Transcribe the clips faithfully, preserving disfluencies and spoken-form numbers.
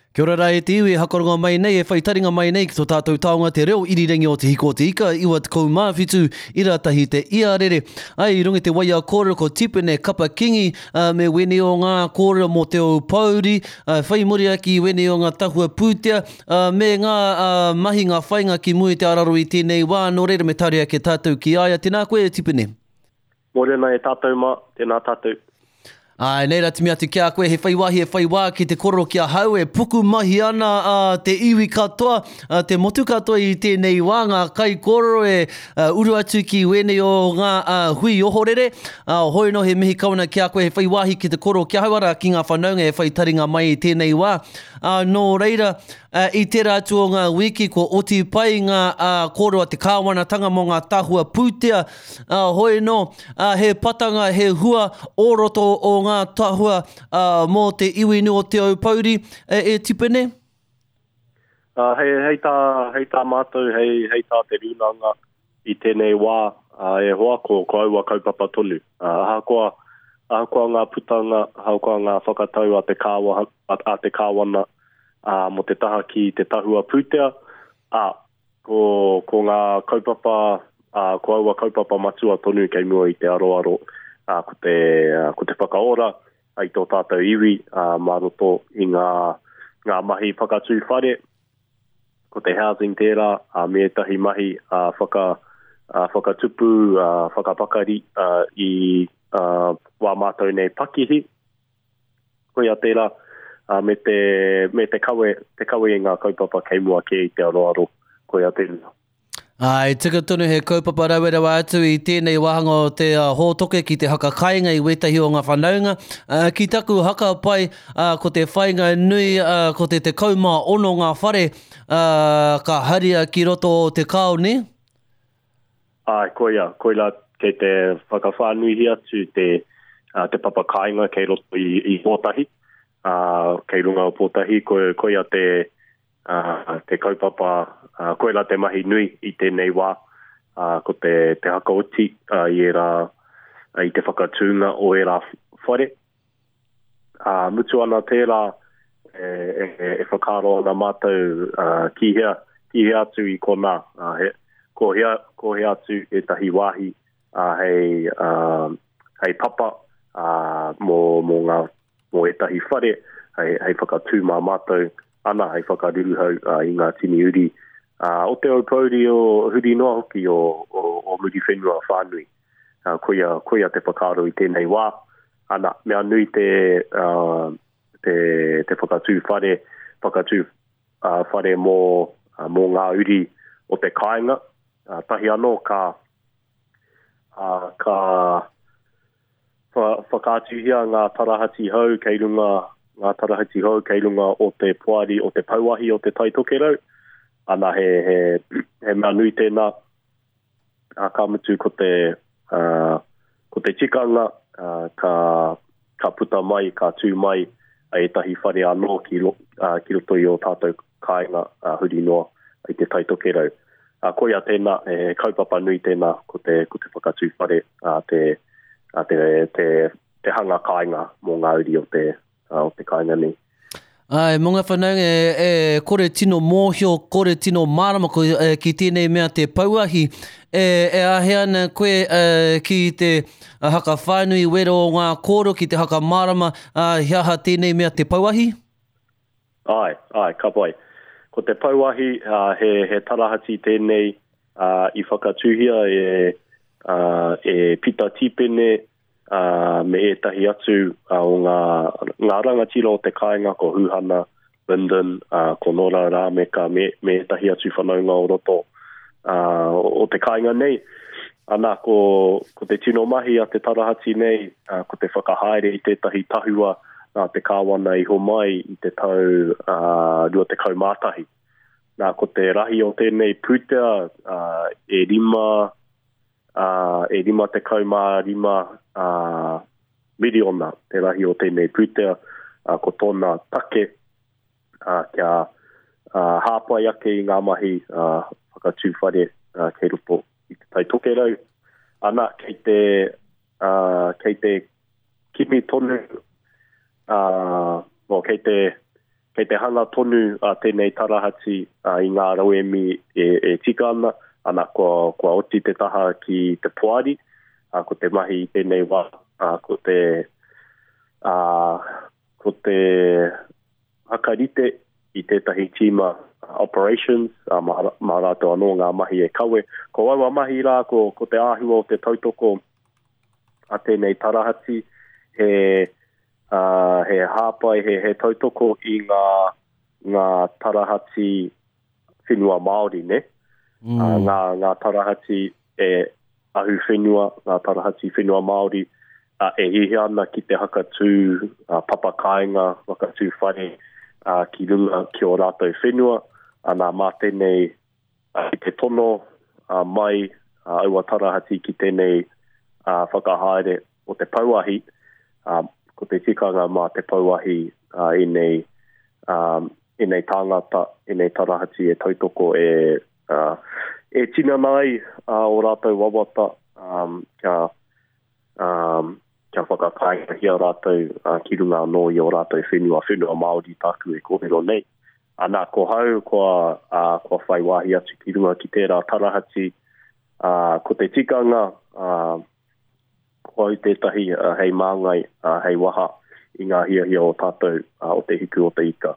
Kia ora rā e te iwi e hakarongo mai nei, e whai taringa mai nei ki tō tātou taonga te reo irirangi o Te Hiko o Te Ika, iwa tekau mā whitu, ira tahi te iarere. Ai, i runga i te waia kōrero ko Tipene Kapa Kingi uh, me wēnei o ngā kōrero mō Te Aupōuri, uh, whai muri ake i wēnei o ngā tahua pūtea, uh, me ngā uh, mahi, ngā whainga ki mua i te araro i tēnei wā, nō reira me tari ake tātou ki a ia. Tēnā koe e Tipene. Mōrena e tātou mā, tēnā tātou. Āe, nei rā timi atu ki a koe, he whai wāhi, he whai wā ki te korero ki ahau, e puku mahi ana a, te iwi katoa, a, te motu katoa i tēnei wā, ngā kaikōrero e a, uru atu ki wēnei o ngā a, hui ohorere. A, hoi no he mihi kau ana ki a koe, he whai wāhi ki te korero ki ahau, arā, ki ngā whanaunga e whai taringa mai i tēnei wā. A, nō reira, a, i tērā atu o ngā wiki, kua oti pai ngā a, kōrero a te kāwanatanga mō ngā tahua pūtea. A, hoi no, a, he patanga, he hua o roto o ngā tahua a, mō te iwi nui o Te Aupōuri, e, e Tipene? Uh, hei, hei, tā, hei tā mātou, hei, hei tā te rūnanga i tēnei wā, uh, e hoa, ko, ko aua kaupapa tonu. Uh, ahakoa, ahakoa ngā putanga, ahakoa ngā whakatau a te, kāwa, a, a te kāwana uh, mō te taha ki te tahua pūtea, a, ko, ko ngā kaupapa, uh, ko aua kaupapa matua tonu kei mua i te aroaro, uh, ko, te, uh, ko te whakaora i tō tātou iwi uh, mā roto i ngā, ngā mahi whakatū whare, ko te housing tērā, uh, me ētahi mahi uh, whaka, uh, whakatupu, uh, whakapakari uh, i uh, wā mātou nei pakihi. Koia tērā, uh, me te, me te kawe, te kawe i ngā kaupapa kei mua kē i te aroaro, koia tērā. Ai, tika tonu he kaupapa rawe rawa atu i tēnei wāhanga o te uh, hōtoke ki te haka kainga i wētahi o ngā whanaunga. Uh, ki taku haka pai, uh, ko te whainga nui, uh, ko te tekau mā ono ngā whare, uh, ka haria ki roto o te kao, ne? Ai, koia, koila kei te whakawhānuihi atu te, uh, te papa kāinga kei roto i, i Pōtahi, uh, kei runga o Pōtahi, ko, koia te, uh, te kaupapa, uh, koila te mahi nui i tēnei wā, uh, ko te, te hakaoti uh, i, ērā, uh, i te whakatūnga o ērā whare. Uh, mutu ana tērā e, e, e whakaaro ana mātou uh, ki hea, ki hea atu i konā, uh, he, ko hea, ko hea atu ētahi wāhi uh, hei, uh, hei papa uh, mō, mō, ngā, mō ētahi whare, hei, hei whakatū mā mātou, ana hei whakaruruhau uh, i ngā tini uri uh, o Te Aupōuri o huri noa hoki o, o, o Muriwhenua whānui. Uh, koia, koia te whakaaro i tēnei wā. Ana, mea nui te, uh, te, te whakatū whare, whakatū uh, whare mō, uh, mō ngā uri o te kāinga. Uh, tahi anō ka, uh, ka whakaatuhia ngā tarahati hou kei runga, ngā tarahati hou kei runga o te poari o te pouahi o te Tai Tokerau. Ana he, he, he mea nui tēnā. Uh, ka mutu ko te, uh, ko te tikanga, uh, ka, ka puta mai, ka tū mai a ētahi whare anō ki, uh, ki roto i o tātou kāinga uh, huri noa i te Tai Tokerau. Uh, koia tēnā, he kaupapa nui tēnā, ko te, ko te whakatū whare, uh, te, uh, te, te, te hanga kāinga mō ngā uri o te, uh, o te kāinga nei. Ai, mō ngā whanaunga e, e kore tino mōhio, kore tino mārama ko, e, ki tēnei mea te pouahi, e, e āhei ana koe e, ki te haka whānui wero o ngā kōrero, ki te haka mārama, a, he aha tēnei mea te pouahi? Ai, ai, ka pai. Ko te pouahi, uh, he, he tarahati tēnei uh, i whakatūhia e, uh, e Pita Tipene, Uh, me ētahi atu uh, o ngā, ngā rangatira o te kāinga, ko Huhana, Lyndon, uh, ko Nora Rāmeka, me, me ētahi atu whanaunga o roto uh, o te kāinga nei. Ana, ko, ko te tino mahi a te tarahati nei, uh, ko te whakahaere i tētahi tahua nā te kāwana i homai i te tau uh, rua tekau mā tahi. Nā, ko te rahi o tēnei pūtea uh, e rima, uh, e rima tekau mā rima uh, miriona te rahi o tēnei pūtea, uh, ko tōna take uh, kia uh, hāpai ake i ngā mahi uh, whakatū whare uh, kei roto i te Tai Tokerau. Ana, kei te, uh, kei te kimi tonu, uh, no, kei te kei te hanga tonu uh, tēnei tarahati uh, i ngā rauemi e, e tika ana, ana kua, kua oti te taha ki te poari, uh, ko te mahi i tēnei wā, uh, ko te, uh, ko te hakarite i tētahi tīma operations, uh, mā, mā rātou anō ngā mahi e kawe. Ko aua mahi rā, ko, ko te āhua o te tautoko a tēnei tarahati, he, uh, he hāpai, he, he tautoko i ngā, ngā tarahati whenua Māori, ne? Mm. Uh, ngā, ngā tarahati e ahu whenua, ngā tarahati whenua Māori, uh, e hihia ana ki te hakatū uh, papakāinga, whakatū whare, uh, ki runga ki o rātou whenua, ana mā tēnei uh, ki te tono uh, mai uh, aua tarahati ki tēnei uh, whakahaere o te pouahi, uh, ko te tikanga mā te pouahi uh, enei, um, enei tāngata, enei tarahati e tautoko e, uh, e tinana ai uh, o rātou wawata um, kia, um, kia whakakaingahia rātou uh, ki runga anō i o rātou whenua, whenua Māori tāku e kōrero nei. Ana, ko hau, kua, uh, kua whai wāhi atu ki runga ki tērā tarahati, uh, ko te tikanga, uh, ko au tētahi uh, hei māngai, uh, hei waha i ngā hiahia o tātou uh, o te hiku o te ika.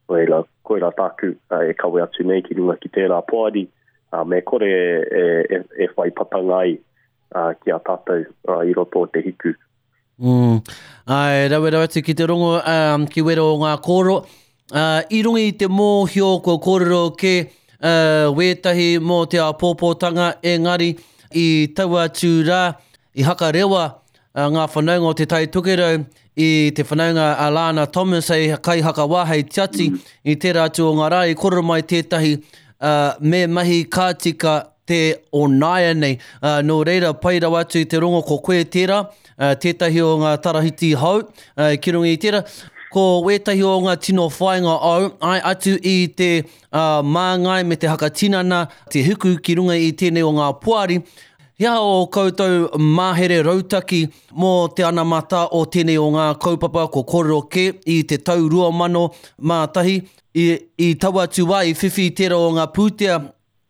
Koira, koira tāku uh, e kawe atu nei ki runga ki tērā poari, uh, me kore e, e, e whai patanga ai uh, ki a tātou uh, i roto o te hiku. Mm. Ai, rawe rawe atu ki te rongo, um, ki wera o ngā kōro. Uh, I runga i te mōhio kua kōrero ke uh, wētahi mō te āpōpōtanga, engari i taua atu rā, i hakarewa uh, ngā whanaunga o te Tai Tokerau i te whanaunga a Lana Thomas hei kaihakawā hei tiati mm. i tērā atu o ngā rā, i kōrero mai tētahi uh, me mahi ka tika te o nāianei. Uh, nō reira, pai rawa atu i te rongo ko koe tērā, uh, tētahi o ngā tarahiti hou, uh, ki runga i tērā. Ko wētahi o ngā tino whāinga au, ai atu i te uh, māngai me te hakatinana, te huku ki runga i tēnei o ngā poari. He aha o koutou mahere rautaki mō te anamata o tēnei o ngā kaupapa ko kōrero ke i te tau rua mano mā tahi, i, i taua atu wā i whiwhi tērā o ngā pūtea,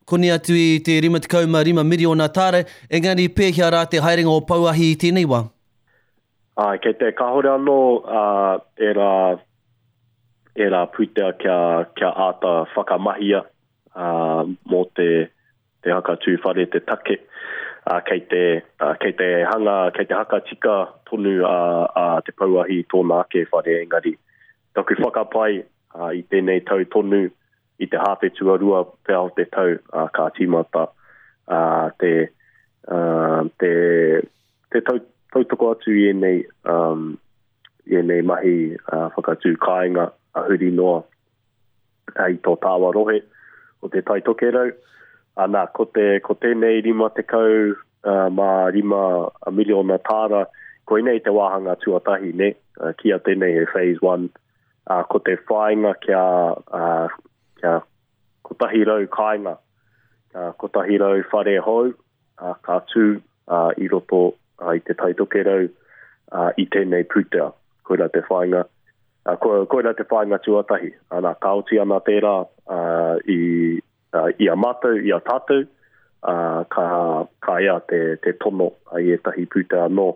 koni atu i te rima tekau mā rima miriona tāra, engari pēhea rā te haerenga o Pouahi i tēnei wā? Ai, kei te kāhore anō uh, ērā, ērā pūtea kia, kia āta whakamahia uh, mō te, te hakatū whare te take. Uh, kei te, uh, kei te hanga, kei te hakatika tonu a uh, uh, te Pouahi tōna ake whare, engari. Taku whakapai uh, i tēnei tau tonu, i te hāwhe tuarua pea o te tau uh, ka tīmata uh, te, uh, te, te tau, tautoko atu i ēnei, um, i ēnei mahi uh, whakatū kāinga uh, huri noa uh, i tō tāwa rohe o te Tai Tokerau. Ana, ko, te, ko tēnei rima tekau uh, mā rima miliona tāra, koinei te wāhanga tuatahi, ne? Uh, kia tēnei he phase one. Uh, ko te whāinga kia, uh, kia kotahi rau kāinga, kia kotahi rau whare hou, uh, ka tū uh, i roto uh, i te Tai Tokerau uh, i tēnei pūtea. Koira te whāinga, uh, ko, koira te whāinga tuatahi. Ana, ka oti ana tērā uh, i, uh, i a mātou, i a tātou, uh, ka, ka ea te, te tono uh, i ētahi pūtea anō.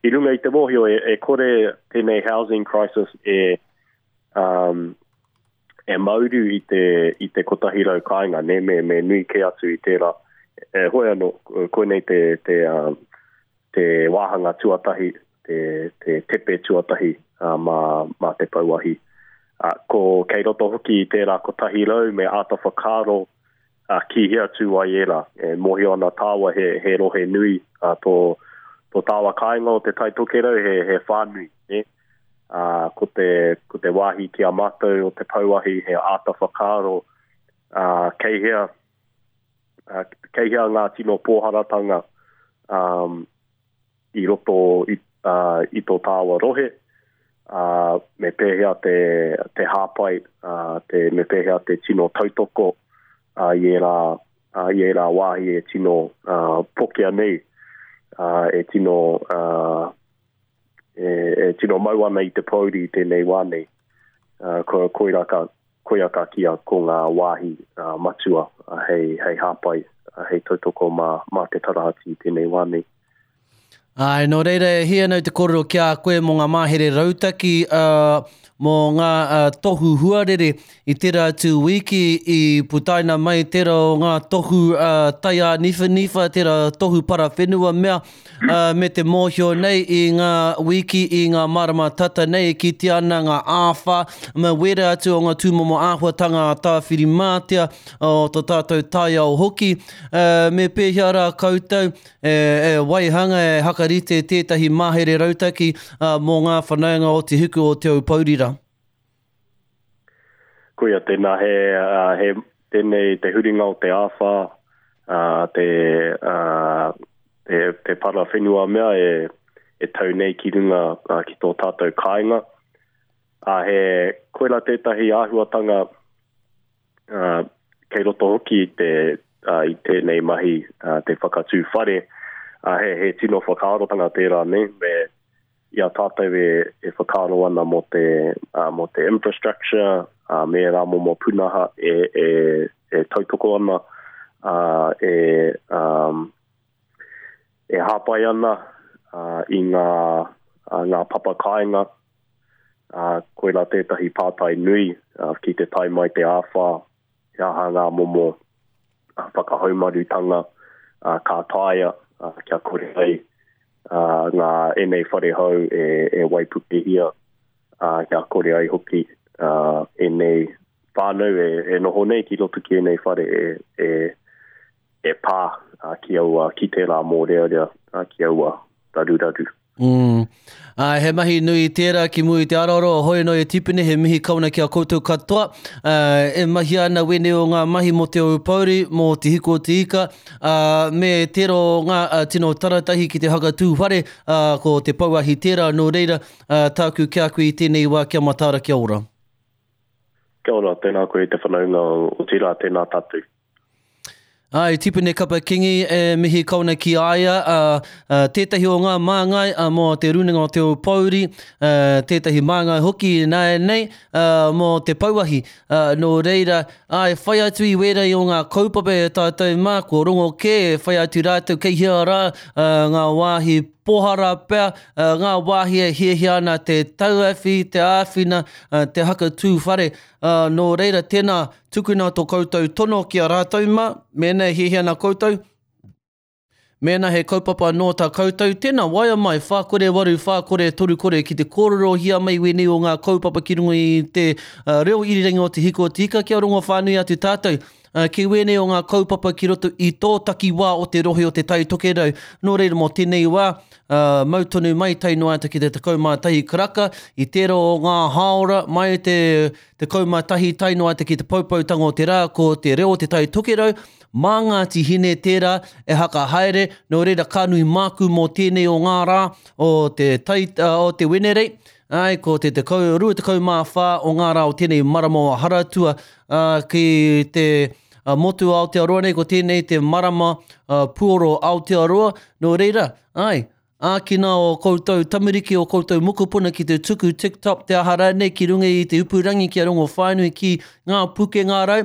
I runga i te mōhio, e, e kore tēnei housing crisis e, um, e mauru i te, i te kotahi rau kāinga, ne, me, me nui kē atu i tērā. E, hoi anō, koinei te, te, um, te wāhanga tuatahi, te, te tepe tuatahi uh, mā, mā te Pouahi. Uh, ko kei roto hoki i tērā kotahi rau me āta whakaaro uh, ki hea tū ai ērā. E mōhio ana tāua he, he rohe nui, uh, tō, tō tāua kāinga o te Tai Tokerau he, he whānui. Ne? Uh, ko, te, ko te wāhi ki a mātou o te Pouahi he āta whakaaro uh, kei hea, uh, kei hea ngā tino pōharatanga um, i roto i, uh, i tō tāua rohe, uh, me pēhea te, te hāpai, uh, te, me pēhea te tino tautoko uh, i ērā, uh, i ērā wāhi e tino uh, pokea nei, uh, e tino, uh, e, e tino mau ana i te pouri i tēnei wā nei. Uh, ko, koira ka, koia ka kia ko ngā wāhi uh, matua uh, hei, hei hāpai, uh, hei tautoko mā, mā te tarahati i tēnei wā nei. Ai, nō reira, e hia nau te kōrero ki a koe mō ngā mahere rautaki, uh, mō ngā uh, tohu huarere i tērā atu wiki i putaina mai tērā o ngā tohu uh, tai āniwhaniwha, tērā tohu parawhenua mea, uh, me te mōhio nei i ngā wiki, i ngā marama tata nei, e kitea ana ngā āwhā, me wera atu o ngā tūmomo āhuatanga a Tāwhirimātea, o tō tātou taiao hoki. Uh, me pēhea rā koutou, e, e waihanga, e hakarite tētahi mahere rautaki uh, mō ngā whanaunga o te hiku o Te Aupōuri rā? Koia tēnā, he, uh, he tēnei te huringa o te āwhā, uh, te, uh, te, te para whenua mea e, e tau nei ki runga uh, ki tō tātou kāinga. Uh, he koira tētahi āhuatanga uh, kei roto hoki te, uh, i tēnei mahi uh, te whakatū whare. Uh, he, he tino whakaarotanga tērā nei, me i a tātou e, e whakaaro ana mō te, uh, mō te infrastructure, uh, me rā momo punaha e, e, e tautoko ana, uh, e, um, e hāpai ana uh, i ngā, uh, ngā papa kāinga. Uh, koira tētahi pātai nui uh, ki te tae mai te āwhā, he aha ngā momo uh, whakahaumarutanga uh, ka taea uh, kia kore ai uh, ngā enei whare hou e, e waipukehia, uh, kia kore ai hoki uh, enei whānau e, e noho nei ki roto ki enei whare e, e, e pā uh, ki aua, ki tērā mōrearea, uh, ki aua raruraru. Mm. Uh, he mahi nui tērā ki mua i te araaro, hoi no e Tipene, he mihi kauna ki a koutou katoa. Uh, e mahi ana wene o ngā mahi mō Te Aupōuri, mō Te Hiku o Te Ika, uh, me tērā o ngā uh, tino taratahi ki te hakatū whare, uh, ko te pouahi tērā, nō reira, uh, tāku ki a koe i tēnei wā, kia mataara, kia ora. Kia ora, tēnā koe te whanaunga, otirā, tēnā tātou. Ai, Tipene Kapa Kingi, e mihi kauna ki a ia, uh, uh, tētahi o ngā māngai uh, mō te Rūnanga o Te Aupōuri, uh, tētahi māngai hoki nā nei uh, mō te pouahi. Uh, nō reira, ai, whai atu i wērā i o ngā kaupapa e tātou mā, ko rongo kē, whai atu rātou kei hea rā uh, ngā wāhi pohara pea, uh, ngā wāhi e hiahia ana te tauawhi, te āwhina, uh, te hakatū whare. Uh, nō reira, tēnā, tukuna tō koutou tono ki a rātou mā, mēnā e hiahia ana koutou, mēnā he kaupapa nō tā koutou, tēnā waia mai, whā kore waru, whā kore toru kore, ki te kōrerohia mai wēnei o ngā kaupapa ki runga i te uh, reo irirangi o Te Hiku o Te Ika, kia rongo whānui atu tātou. Uh, ki wēnei o ngā kaupapa ki roto i tō takiwā o te rohe o te Tai Tokerau. Nō reira mō tēnei wā, uh, mau tonu mai tae noa atu ki te tekau mā tahi karaka, i tērā o ngā hāora mai te tekau mā tahi tae noa atu ki te poupoutanga o te rā, ko te reo o te Tai Tokerau, mā Ngāti Hine tērā e haka haere, nō reira ka nui māku mō tēnei o ngā rā o te, tai, uh, o te Wenerei, ai, ko te tekau, rua tekau mā whā o ngā rā o tēnei marama o Haratua, uh, ki te uh, motu Aotearoa nei, ko tēnei te marama uh, puoro Aotearoa, nō reira, ai, ākina o koutou tamariki, o koutou mokopuna ki te tuku TikTok te aha rānei ki runga i te upurangi kia rongo whānui ki ngā pukenga rau,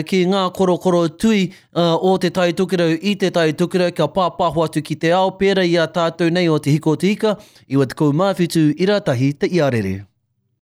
ki ngā korokoro tui uh, o te Tai Tokerau i te Tai Tokerau kia pāpāho atu ki te ao pērā i a tātou nei o Te Hiku o Te Ika, iwa tekau mā whitu ira tahi te iarere.